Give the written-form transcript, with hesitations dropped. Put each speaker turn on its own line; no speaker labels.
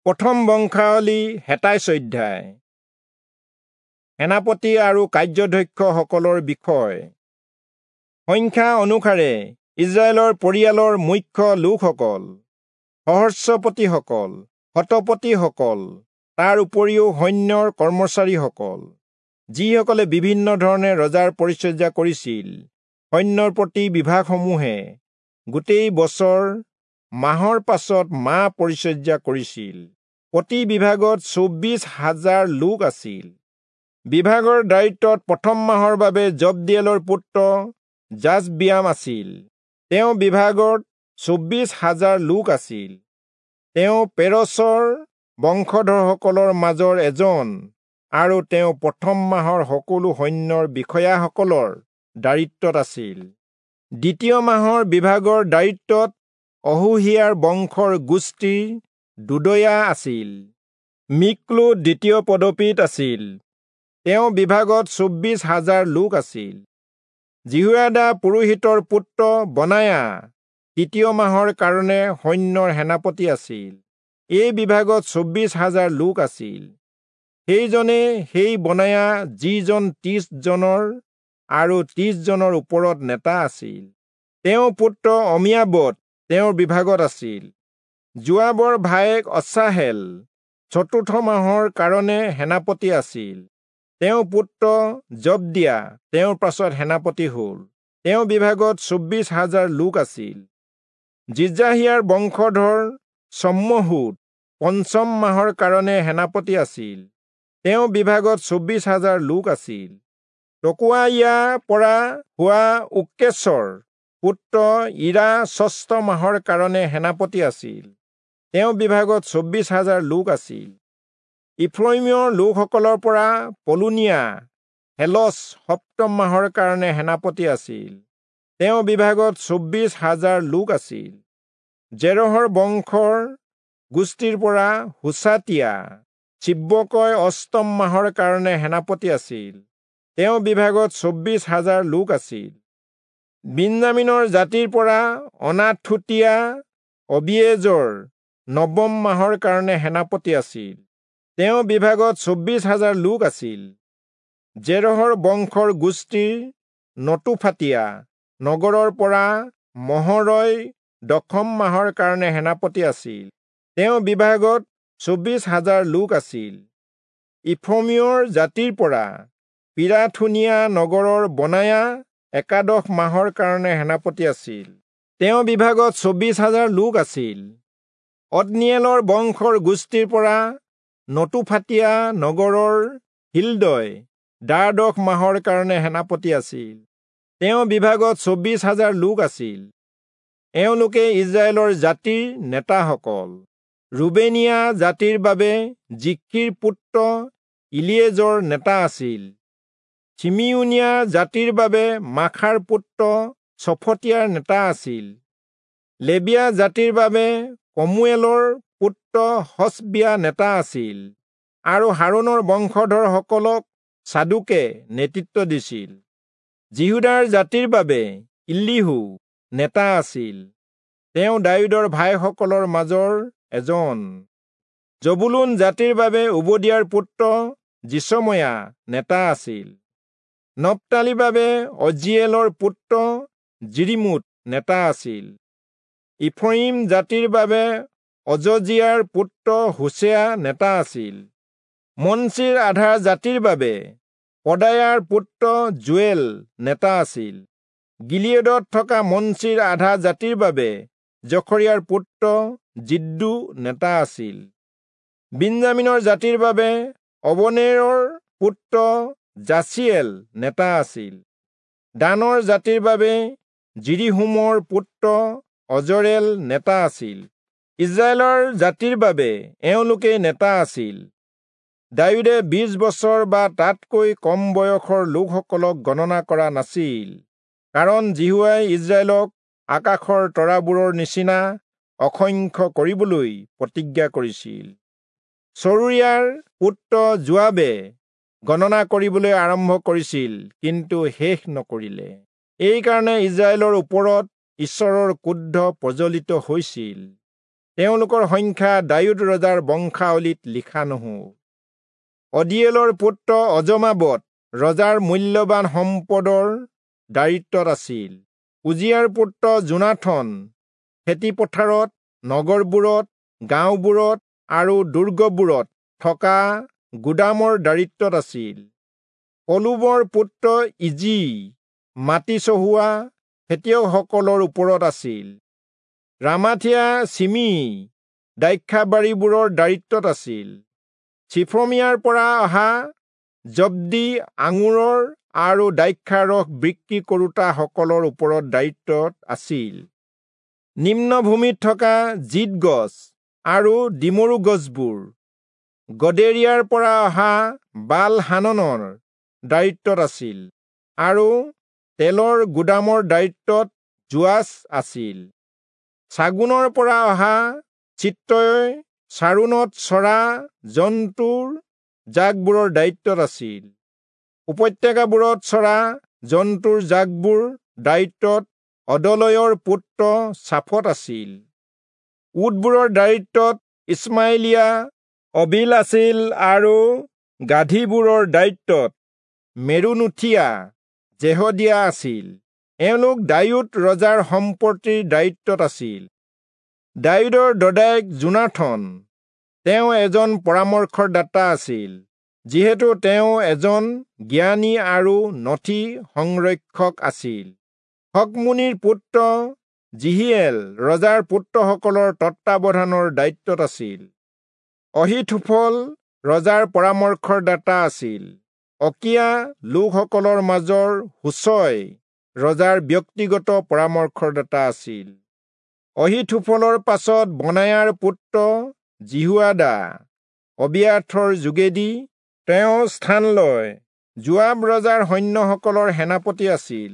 প্ৰথম বংশাৱলী 27 অধ্যায়। সেনাপতি আৰু কাৰ্যধ্যক্ষসকলৰ বিষয়। সংখ্যা অনুসাৰে ইজৰাইলৰ পৰিয়ালৰ মুখ্য লোকসকল, সহস্ৰপতিসকল, শতপতিসকল, তাৰ উপৰিও সৈন্যৰ কৰ্মচাৰীসকল, যিসকলে বিভিন্ন ধৰণে ৰজাৰ পৰিচৰ্যা কৰিছিল। সৈন্যৰ প্ৰতি বিভাগসমূহে গোটেই বছৰ মাহৰ পাছত মাহ পৰিচৰ্যা কৰিছিল। প্ৰতি বিভাগত 24,000 লোক আছিল। বিভাগৰ দায়িত্বত প্ৰথম মাহৰ বাবে জবদিয়েলৰ পুত্ৰ যাচবিয়াম আছিল। তেওঁ বিভাগত 24,000 লোক আছিল। তেওঁ পেৰচৰ বংশধৰসকলৰ মাজৰ এজন আৰু তেওঁ প্ৰথম মাহৰ সকলো সৈন্যৰ বিষয়াসকলৰ দায়িত্বত আছিল। দ্বিতীয় মাহৰ বিভাগৰ দায়িত্বত অহোহিয়াৰ বংশৰ গোষ্ঠীৰ দুদয়া আছিল। মিক্লো দ্বিতীয় পদবীত আছিল। তেওঁ বিভাগত 24,000 লোক আছিল। যিহোয়াদা পুৰোহিতৰ পুত্ৰ বনায়া তৃতীয় মাহৰ কাৰণে সৈন্যৰ সেনাপতি আছিল। এই বিভাগত 24,000 লোক আছিল। সেইজনে সেই বনায়া যিজন 30 জনৰ আৰু 30 জনৰ ওপৰত নেতা আছিল। তেওঁ পুত্ৰ অমিয়াবদ তেওঁৰ বিভাগত আছিল। যোৱাবৰ ভায়েক অচাহেল চতুৰ্থ মাহৰ কাৰণে সেনাপতি আছিল। তেওঁ পুত্ৰ জবদিয়া তেওঁৰ পাছত সেনাপতি হ'ল। তেওঁ বিভাগত 24,000 লোক আছিল। জিজাহিয়াৰ বংশধৰ চম্মহুদ পঞ্চম মাহৰ কাৰণে সেনাপতি আছিল। তেওঁ বিভাগত 24,000 লোক আছিল। তকোৱাইয়া পৰা হোৱা উক্কেচৰ পুত্ৰ ইৰা ষষ্ঠ মাহৰ কাৰণে সেনাপতি আছিল। তেওঁ বিভাগত 24,000 লোক আছিল। ইফ্ৰয়িমৰ লোকসকলৰ পৰা পলোনীয়া হেলচ সপ্তম মাহৰ কাৰণে সেনাপতি আছিল। তেওঁ বিভাগত 24,000 লোক আছিল। জেৰহৰ বংশৰ গোষ্ঠীৰ পৰা হুচাতিয়া চিব্বকয় অষ্টম মাহৰ কাৰণে সেনাপতি আছিল। তেওঁ বিভাগত 24,000 লোক আছিল। বিন্যামীনৰ জাতিৰ পৰা অনাথুতীয়া অবিয়েজৰ নৱম মাহৰ কাৰণে সেনাপতি আছিল। তেওঁ বিভাগত 24,000 লোক আছিল। জেৰহৰ বংশৰ গোষ্ঠীৰ নতুফাতীয়া নগৰৰ পৰা মহৰয় দশম মাহৰ কাৰণে সেনাপতি আছিল। তেওঁ বিভাগত 24,000 লোক আছিল। ইফ্ৰয়িমৰ জাতিৰ পৰা পিৰাথুনীয়া নগৰৰ বনায়া একাদশ মাহৰ কাৰণে সেনাপতি আছিল। তেওঁ বিভাগত 24,000 লোক আছিল। অত্নিয়েলৰ বংশৰ গোষ্ঠীৰ পৰা নতুফাতীয়া নগৰৰ হিল্দয় দ্বাদশ মাহৰ কাৰণে সেনাপতি আছিল। তেওঁ বিভাগত 24,000 লোক আছিল। এওঁলোকে ইজৰাইলৰ জাতিৰ নেতাসকল। ৰুবেনীয়া জাতিৰ বাবে জিখ্ৰীৰ পুত্ৰ ইলিয়েজৰ নেতা আছিল। চিমিয়োনীয়া জাতিৰ বাবে মাখাৰ পুত্ৰ চফটীয়াৰ নেতা আছিল। লেবীয়া জাতিৰ বাবে কমুৱেলৰ পুত্ৰ হচবিয়া নেতা আছিল আৰু হাৰোণৰ বংশধৰসকলক চাদোকে নেতৃত্ব দিছিল। যিহূদাৰ জাতিৰ বাবে ইলীহূ নেতা আছিল। তেওঁ দায়ূদৰ ভাইসকলৰ মাজৰ এজন। জবুলূন জাতিৰ বাবে ওবদিয়াৰ পুত্ৰ যিচময়া নেতা আছিল। নপ্তালীৰ বাবে অজ্জিয়েলৰ পুত্ৰ যিৰিমোত নেতা আছিল। ইফ্ৰয়িম জাতিৰ বাবে অজজিয়াৰ পুত্ৰ হোচেয়া নেতা আছিল। মনচিৰ আধা জাতিৰ বাবে পদায়াৰ পুত্ৰ যোৱেল নেতা আছিল। গিলিয়দত থকা মনচিৰ আধা জাতিৰ বাবে জখৰিয়াৰ পুত্ৰ জিদ্দু নেতা আছিল। বিন্যামীনৰ জাতিৰ বাবে অবনেৰৰ পুত্ৰ যাচিয়েল নেতা আছিল। দানৰ জাতিৰ বাবে যিৰিহোমৰ পুত্ৰ অজৰেল নেতা আছিল। ইজৰাইলৰ জাতিৰ বাবে এওঁলোকেই নেতা আছিল। দায়ূদে 20 বছৰ বা তাতকৈ কম বয়সৰ লোকসকলক গণনা কৰা নাছিল, কাৰণ যিহোৱাই ইজৰাইলক আকাশৰ তৰাবোৰৰ নিচিনা অসংখ্য কৰিবলৈ প্ৰতিজ্ঞা কৰিছিল। চৰুয়াৰ পুত্ৰ যোৱাবে গণনা কৰিবলৈ আৰম্ভ কৰিছিল, কিন্তু শেষ নকৰিলে। এইকাৰণে ইজৰাইলৰ ওপৰত ঈশ্বৰৰ ক্ৰোধ প্ৰজ্বলিত হৈছিল। তেওঁলোকৰ সংখ্যা দায়ূদ ৰজাৰ বংশাৱলীত লিখা নহ'ল। অদিয়েলৰ পুত্ৰ অজমাবত ৰজাৰ মূল্যৱান সম্পদৰ দায়িত্বত আছিল। উজিয়াৰ পুত্ৰ যোনাথন খেতিপথাৰত, নগৰবোৰত, গাঁওবোৰত আৰু দুৰ্গবোৰত থকা গুদামৰ দায়িত্বত আছিল। পলুবৰ পুত্ৰ ইজি মাটি চহোৱা খেতিয়কসকলৰ ওপৰত আছিল। ৰামাথিয়া চিমি দ্ৰাক্ষাবাৰীবোৰৰ দায়িত্বত আছিল। চিফমিয়াৰ পৰা অহা জব্দি আঙুৰৰ আৰু দ্ৰাক্ষাৰস বিক্ৰী কৰোতাসকলৰ ওপৰত দায়িত্বত আছিল। নিম্নভূমিত থকা জিত গছ আৰু ডিমৰু গছবোৰ গদেৰিয়াৰ পৰা অহা বাল হাননৰ দায়িত্বত আছিল আৰু তেলৰ গুদামৰ দায়িত্বত যোৱাচ আছিল। ছাগুনৰ পৰা অহা চিত্ৰই চাৰোণত চৰা জন্তুৰ জাকবোৰৰ দায়িত্বত আছিল। উপত্যকাবোৰত চৰা জন্তুৰ জাকবোৰ দায়িত্বত অদলয়ৰ পুত্ৰ চাফত আছিল। উটবোৰৰ দায়িত্বত ইছমাইলীয়া অবিল আছিল আৰু গাধীবোৰৰ দায়িত্বত মেৰোনোথীয়া জেহদিয়া আছিল। এওঁলোক দায়ূদ ৰজাৰ সম্পত্তিৰ দায়িত্বত আছিল। দায়ূদৰ দদায়েক যোনাথন তেওঁ এজন পৰামৰ্শদাতা আছিল, যিহেতু তেওঁ এজন জ্ঞানী আৰু নথি সংৰক্ষক আছিল। হকমুনিৰ পুত্ৰ জিহিয়েল ৰজাৰ পুত্ৰসকলৰ তত্বাৱধানৰ দায়িত্বত আছিল। অহীথোফল ৰজাৰ পৰামৰ্শদাতা আছিল। অকীয়া লোকসকলৰ মাজৰ হুচয় ৰজাৰ ব্যক্তিগত পৰামৰ্শদাতা আছিল। অহীথোফলৰ পাছত বনায়াৰ পুত্ৰ যিহোয়াদা অবিয়াথৰ যোগেদি তেওঁ স্থান লয়। যোৱাব ৰজাৰ সৈন্যসকলৰ সেনাপতি আছিল।